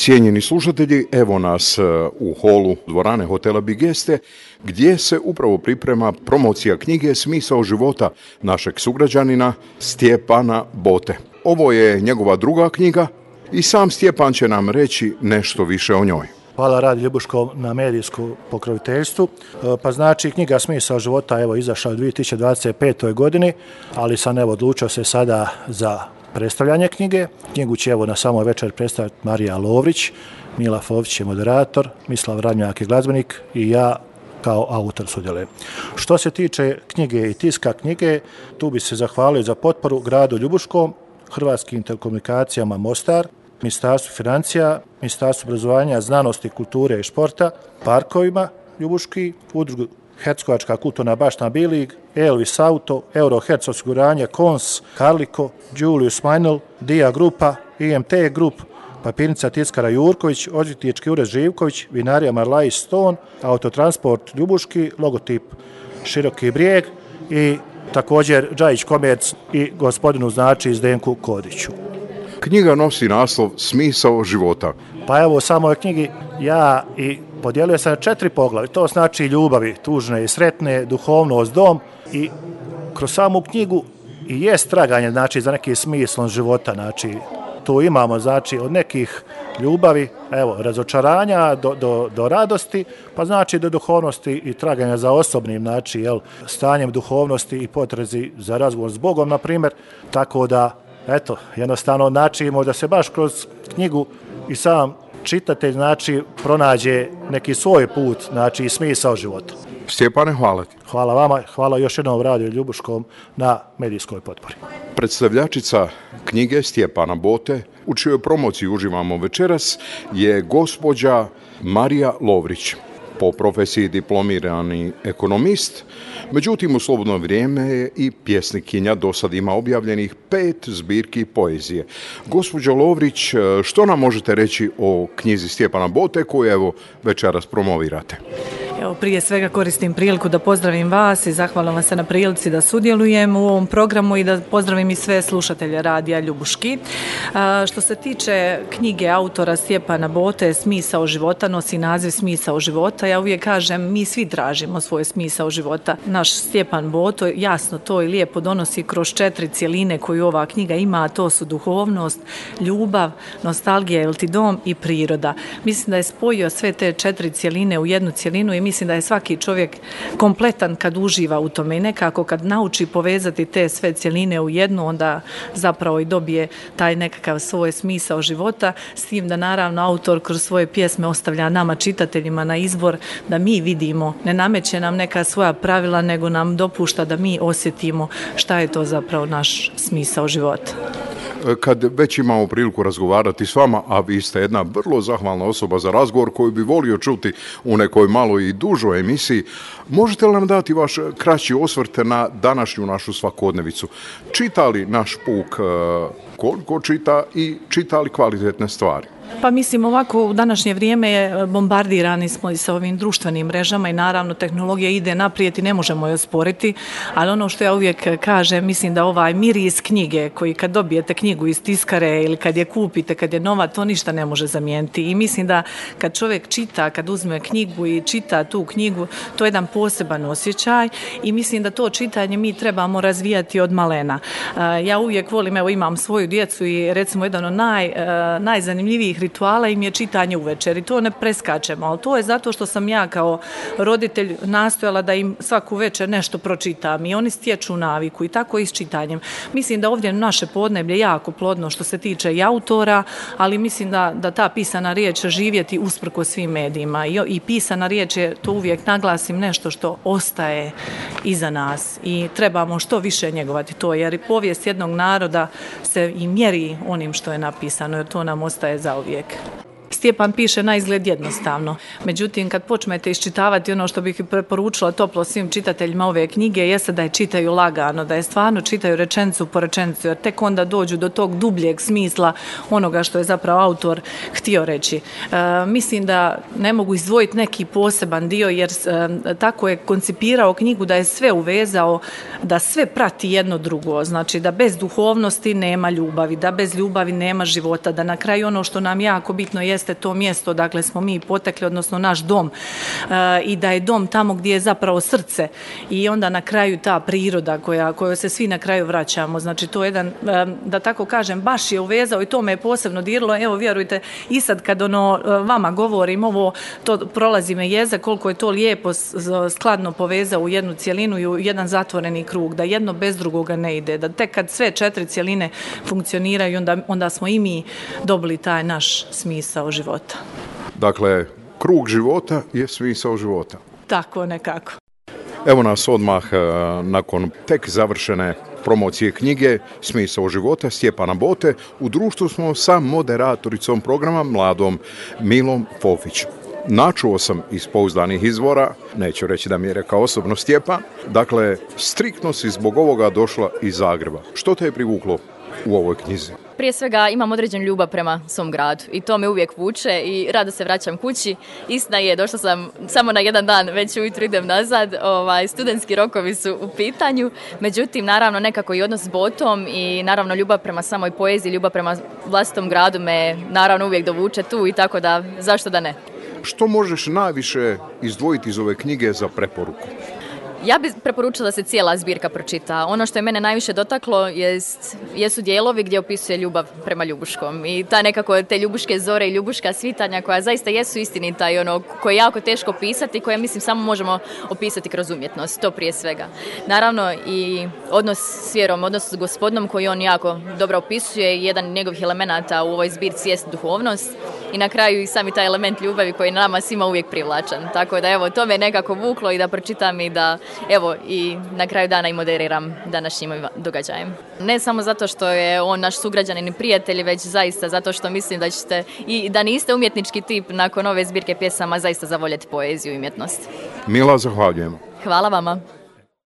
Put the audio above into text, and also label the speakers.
Speaker 1: Cijenjeni slušatelji, evo nas u holu dvorane hotela Bigeste, gdje se upravo priprema promocija knjige Smisao života našeg sugrađanina Stjepana Bote. Ovo je njegova druga knjiga i sam Stjepan će nam reći nešto više o njoj.
Speaker 2: Hvala Radio Ljubuškom na medijskom pokroviteljstvu. Pa znači knjiga Smisao života evo izašla u 2025. godini, ali sam odlučio se sada za predstavljanje knjige. Knjigu će na samoj večer predstaviti Marija Lovrić, Mila Fović je moderator, Mislav Radnjak je glazbenik i ja kao autor sudjelujem. Što se tiče knjige i tiska knjige, tu bi se zahvalio za potporu gradu Ljubuškom, Hrvatskim telekomunikacijama Mostar, Ministarstvu financija, Ministarstvu obrazovanja, znanosti, kulture i športa, parkovima Ljubuški, udrugu Hercegovačka kulturna baština Bilig, Elvis Auto, Euroherc osiguranje, Kons, Karliko, Julius Meinl, Dia Grupa, IMT Grup, Papirnica tiskara Jurković, Odvjetnički ured Živković, Vinarija Marlaj Stone, Autotransport Ljubuški, logotip Široki Brijeg i također Džajić Komerc i gospodinu znači Zdenku Kodiću.
Speaker 1: Knjiga nosi naslov Smisao života.
Speaker 2: Pa evo u samoj knjigi ja i podijelio sam 4 poglavlja. To znači ljubavi, tužne i sretne, duhovnost, dom i kroz samu knjigu i jest traganje znači za neki smislom života. Znači tu imamo znači od nekih ljubavi, evo razočaranja do radosti, pa znači do duhovnosti i traganja za osobnim znači stanjem duhovnosti i potrezi za razgovor s Bogom na primjer. Tako da eto, jednostavno znači da se baš kroz knjigu i sam čitatelj znači pronađe neki svoj put, znači i smisao života.
Speaker 1: Stjepane, hvala ti.
Speaker 2: Hvala vama, hvala još jednom Radio Ljubuškom na medijskoj potpori.
Speaker 1: Predstavljačica knjige Stjepana Bote, u čijoj promociji uživamo večeras, je gospođa Marija Lovrić. Po profesiji diplomirani ekonomist, međutim u slobodno vrijeme je i pjesnikinja, do sad ima objavljenih 5 zbirki poezije. Gospođo Lovrić, što nam možete reći o knjizi Stjepana Bote koju evo večeras promovirate?
Speaker 3: Evo, prije svega koristim priliku da pozdravim vas i zahvalim vam se na prilici da sudjelujem u ovom programu i da pozdravim i sve slušatelje Radija Ljubuški. Što se tiče knjige autora Stjepana Bote, Smisao života, nosi naziv Smisao života. Ja uvijek kažem, mi svi tražimo svoj smisao života. Naš Stjepan Boto jasno to i lijepo donosi kroz 4 cjeline koju ova knjiga ima, a to su duhovnost, ljubav, nostalgija, jel ti dom i priroda. Mislim da je spojio sve te 4 cjeline u jednu cjelinu i mislim da je svaki čovjek kompletan kad uživa u tome i nekako kad nauči povezati te sve cjeline u jednu, onda zapravo i dobije taj nekakav svoj smisao života, s tim da naravno autor kroz svoje pjesme ostavlja nama čitateljima na izbor da mi vidimo, ne nameće nam neka svoja pravila, nego nam dopušta da mi osjetimo šta je to zapravo naš smisao života.
Speaker 1: Kad već imamo priliku razgovarati s vama, a vi ste jedna vrlo zahvalna osoba za razgovor koju bi volio čuti u nekoj malo i dužoj emisiji, možete li nam dati vaš kraći osvrt na današnju našu svakodnevicu? Čita li naš puk koliko čita i čita li kvalitetne stvari?
Speaker 3: Pa mislim ovako, u današnje vrijeme bombardirani smo i sa ovim društvenim mrežama i naravno tehnologija ide naprijed i ne možemo je osporiti, ali ono što ja uvijek kažem, mislim da ovaj miris knjige koji kad dobijete knjigu iz tiskare ili kad je kupite, kad je nova, to ništa ne može zamijeniti i mislim da kad čovjek čita, kad uzme knjigu i čita tu knjigu, to je jedan poseban osjećaj i mislim da to čitanje mi trebamo razvijati od malena. Ja uvijek volim, evo imam svoju djecu i recimo jedan od najzanimljivijih rituala im je čitanje uvečer i to ne preskačemo, ali to je zato što sam ja kao roditelj nastojala da im svaku večer nešto pročitam i oni stječu naviku i tako i s čitanjem. Mislim da ovdje naše podneblje jako plodno što se tiče i autora, ali mislim da ta pisana riječ živjeti usprkos svim medijima i pisana riječ je, to uvijek naglasim, nešto što ostaje iza nas i trebamo što više njegovati to, jer i povijest jednog naroda se i mjeri onim što je napisano, jer to nam ostaje zauvijek. Stjepan piše na izgled jednostavno. Međutim, kad počnete iščitavati, ono što bih preporučila toplo svim čitateljima ove knjige jeste da je čitaju lagano, da je stvarno čitaju rečenicu po rečenicu, jer tek onda dođu do tog dubljeg smisla onoga što je zapravo autor htio reći. Mislim da ne mogu izdvojiti neki poseban dio, jer tako je koncipirao knjigu da je sve uvezao, da sve prati jedno drugo. Znači da bez duhovnosti nema ljubavi, da bez ljubavi nema života, da na kraju ono što nam jako bitno jeste jeste to mjesto, dakle smo mi potekli, odnosno naš dom, i da je dom tamo gdje je zapravo srce i onda na kraju ta priroda kojoj se svi na kraju vraćamo. Znači to je jedan, da tako kažem, baš je uvezao i to me je posebno diralo. Evo vjerujte, i sad kad vama govorim ovo, to prolazi me jeza koliko je to lijepo skladno povezao u jednu cjelinu i u jedan zatvoreni krug, da jedno bez drugoga ne ide, da tek kad sve 4 cjeline funkcioniraju, onda smo i mi dobili taj naš smisao života.
Speaker 1: Dakle, krug života je smisao života.
Speaker 3: Tako nekako.
Speaker 1: Evo nas odmah nakon tek završene promocije knjige Smisao života Stjepana Bote. U društvu smo sa moderatoricom programa, mladom Milom Fofić. Načuo sam iz pouzdanih izvora, neću reći da mi je rekao osobno Stjepan, dakle, striktno si zbog ovoga došla iz Zagreba. Što te je privuklo u ovoj knjizi?
Speaker 4: Prije svega imam određenu ljubav prema svom gradu i to me uvijek vuče i rado se vraćam kući. Istina je, došla sam samo na jedan dan, već ujutro idem nazad, studentski rokovi su u pitanju, međutim naravno nekako i odnos s Botom i naravno ljubav prema samoj poeziji, ljubav prema vlastitom gradu me naravno uvijek dovuče tu i tako da zašto da ne.
Speaker 1: Što možeš najviše izdvojiti iz ove knjige za preporuku?
Speaker 4: Ja bih preporučila da se cijela zbirka pročita. Ono što je mene najviše dotaklo jesu dijelovi gdje opisuje ljubav prema Ljubuškom. I ta nekako te ljubuške zore i ljubuška svitanja koja zaista jesu istinita i koje je jako teško opisati, koje mislim samo možemo opisati kroz umjetnost, to prije svega. Naravno i odnos s vjerom, odnos s Gospodom koji on jako dobro opisuje, jedan od njegovih elemenata u ovoj zbirci jest duhovnost. I na kraju i sami taj element ljubavi koji je nama svima uvijek privlačan. Tako da evo, to me nekako vuklo i da pročitam i da evo i na kraju dana i moderiram današnjim događajem. Ne samo zato što je on naš sugrađanin i prijatelj, već zaista zato što mislim da ćete i da niste umjetnički tip nakon ove zbirke pjesama zaista zavoljeti poeziju i umjetnost.
Speaker 1: Mila, zahvaljujem.
Speaker 4: Hvala vama.